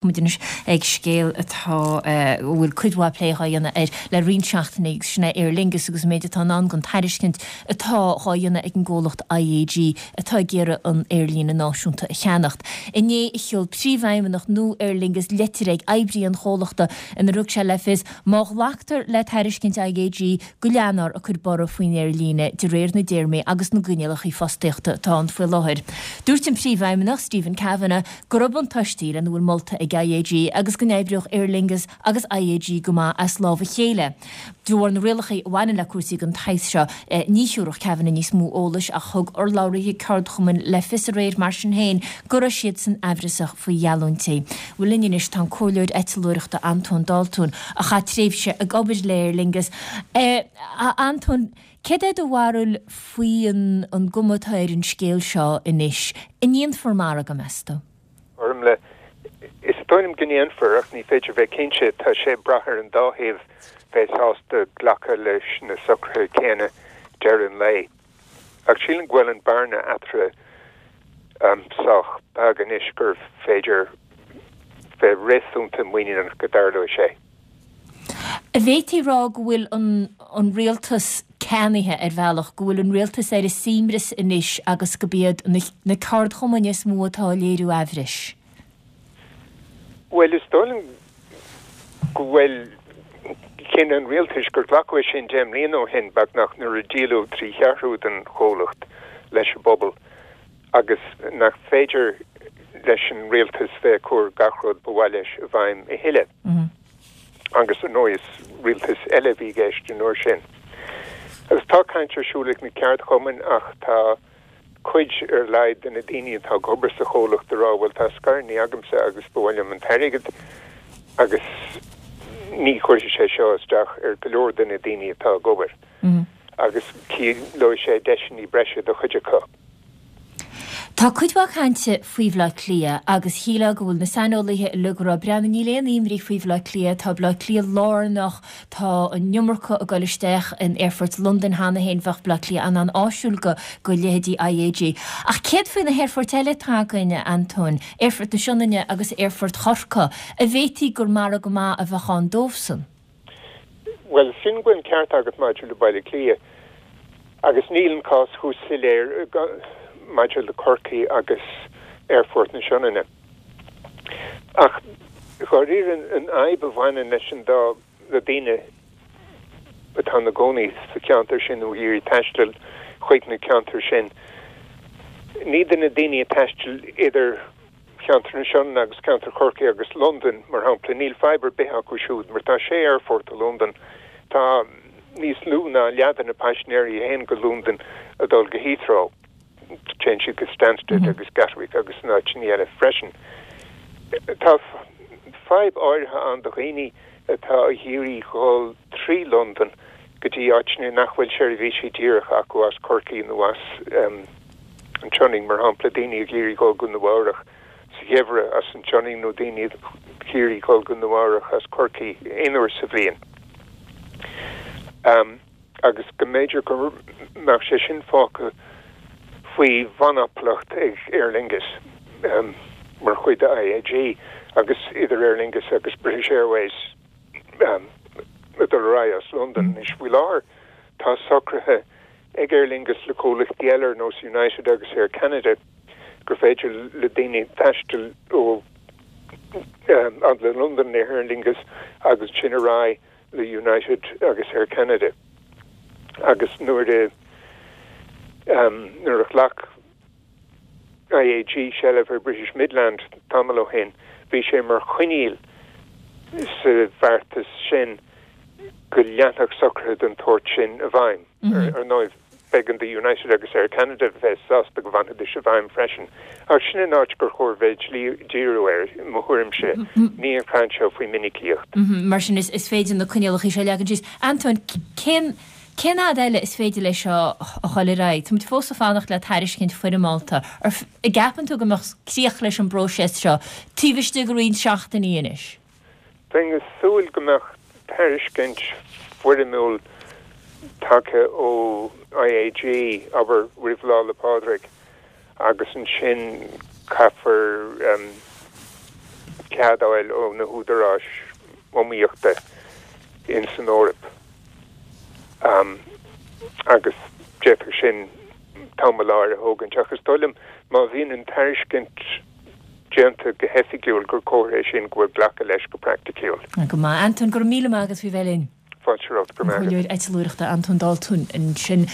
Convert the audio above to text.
Muid anois ag scéal atá, a bhfuil cuid mhaith plé dhá dhéanamh air le roinnt seachtainí agus sin é Aer Lingus agus an méid atá i ndán don tairiscint atá dhá dhéanamh ag an gcomhlacht IAG atá ag iarraidh an aerlíne náisiúnta a cheannacht. Inné a sheol príomhfheidhmeannach nua Aer Lingus leitir ag oibrithe an chomhlachta inar thug sé le fios má ghlactar le tairiscint IAG go leanfar ag cur borradh faoin aerlíne de réir na dtéarmaí agus na gcoinníollacha fostaíochta atá ann faoi láthair. Dúirt an Príomhfheidhmeannach, Stephen Kavanagh, go raibh buntáistí lena bhfuil molta ag IAG agus go n-oibreodh Aer Lingus agus IAG go maith as lámh a chéile. De bharr na rialacha a bhaineann le cúrsaí den tsaghas seo, ní thiúrfadh Kavanagh níos mó eolais ach thug urlabhraithe ceardchumainn le fios aréir mar sin féin go raibh siadsan aimhreasach faoi gheallúintí. Bhuel linn anois tá an comhairleoir eitleoireachta Antóin Daltún, a chaith tréimhse ag obair le Aer Lingus. A Antóin, céard é do bharúil faoi an gcuma atá ar an scéal seo anois? An ndéanfar margadh, meas tú? Bhuel, is dóigh liom go ndéanfar, ach ní féidir bheith cinnte. Tá sé ag brath ar an dá thaobh bheith sásta glacadh leis na socruithe céanna deireadh an lae. Ach sílim go bhfuil an bearna eatarthu sách beag anois gur féidir bheith réasúnta muiníneach go dtarlóidh sé. An bhféadfaí a rá go bhfuil an rialtas ceannaithe ar bhealach, go bhfuil an rialtas ar a suaimhneas anois agus gurb iad na ceardchumainn is mó atá ag léiriú aimhris? Bhuel, is dóigh liom go bhfuil cinneadh an rialtais gur glacadh é sin 10 mbliana ó shin, beagnach, nuair a díoladh trí cheathrú den chomhlacht leis an bpobal agus nach féidir leis an rialtas bheith ag cur gach rud ba mhaith leis i bhfeidhm a thuilleadh. Agus ar ndóigh is rialtas eile a bhí i gceist an uair sin. Agus tá caint ar siúl ag na ceardchumainn ach tá. cuid ar a laghad de na daoine atá ag obair sa chomhlacht ag rá bhuel tá scaireanna agamsa agus ba mhaith liom an t-airgead agus ní chuirfidh sé seo isteach ar go leor de na daoine atá ag obair agus ciallóidh sé deiseanna breise do chuid acu. Tá cuid mhaith cainte faoi Bhaile Átha Cliath agus shílfeá go bhfuil na saineolaithe uilig ag rá breathnaigh níl aon imní faoi Bhaile Átha Cliath, tá Baile Átha Cliath lárnach, Tá an iomarca ag dul isteach in aerfort Londain cheana féin, bheadh Baile Átha Cliath an-an-áisiúil go go leithéidí IAG. Ach céard faoi na haerfoirt eile atá againn, a Antóin, Aerfort na Sionainne agus Aerfort Chorcaí, an bhféadfaí gur margadh maith a bheadh ann dóibhsan? Bhuel, sin go bhfuil an ceart agat maidir le Baile Átha Cliath agus níl an cás chomh soiléir maidir le Corcaigh agus Aerfort na Sionainne. Ach dháiríre an fhadhb a bhaineann leis an dá, le daoine atá ina gcónaí sa cheantar sin nó ag iarraidh taisteal chuig na ceantair sin, ní do na daoine ag taisteal idir cheantar na Sionainne agus ceantar Chorcaí agus Londain, mar shampla, níl fadhb ar bith acu siúd mar tá sé aerfort i Londain, tá níos lú ná leath de na paisinéirí a théann go Londain ag dul go Heathrow. Téann siad go Stansted agus Gatwick agus na áiteanna eile freisin. Tá fadhb áirithe ann do dhaoine atá ag iarraidh dhul trí Londain go dtí áiteanna nach bhfuil seirbhísí díreacha acu as Corcaigh nó as an tSionainn, mar shampla, daoine ag iarraidh dhul go Nua Eabhrach sa gheimhreadh as an tSionainn nó daoine ag iarraidh dhul go Nua Eabhrach as Corcaigh aon uair sa bhliain. agus go mb'fhéidir go mbeadh sé sin fágtha faoi mhonaplacht ag Aer Lingus mar chuid de IAG agus idir Aer Lingus agus British Airways ag dul ar aghaidh as Londain. Anois faoi láthair tá socruithe ag Aer Lingus le comhlachtaí eile ar nós United agus Air Canada gur féidir le daoine taisteal ó fhad le Londain le Aer Lingus agus ansin ar aghaidh le United agus Air Canada agus nuair a nuair a ghlac IAG seilbh ar British Midland tamall ó shin bhí sé mar choinníoll sa bheartas sin go leanfadh socruithe den tsórt sin i bhfeidhm. Ar ndóigh b'éigean do United agus Air Canada bheith sásta go bhfanfaidís i bhfeidhm freisin. Ach sin an áit gur chóir bheith ag díriú air, i mo thuairimse, ní an chaint seo faoi mhinicíocht. Mar sin, is féidir na coinníollacha seo a leagan síos. Antóin, cén cén fhad eile is féidir leis seo a dhul ar aghaidh? Táimid fós ag fanacht le tairiscint foirmeálta. An gceapann tú go mbeadh críoch leis an bpróiseas seo taobh istigh de roinnt seachtainí anois? Bheinn ag súil go mbeadh tairiscint foirmiúil tagtha ó IAG, abair, roimh Lá 'le Pádraig agus ansin caithfear. cead a fháil ó na húdaráis iomaíochta in san Eoraip. Agus d'fhéadfadh sin tamall áirithe a thógaint. Ach is dóigh liom má bhíonn an tairiscint déanta go hoifigiúil gur comhartha é sin go bhfuil glacadh leis go praiticiúil. Go maith. Antóin, go raibh míle maith agat faoi bheith linn. Fáilte romhat, go raibh maith agat. Comhairleoir eitleoireachta Antóin D'Altún ansin.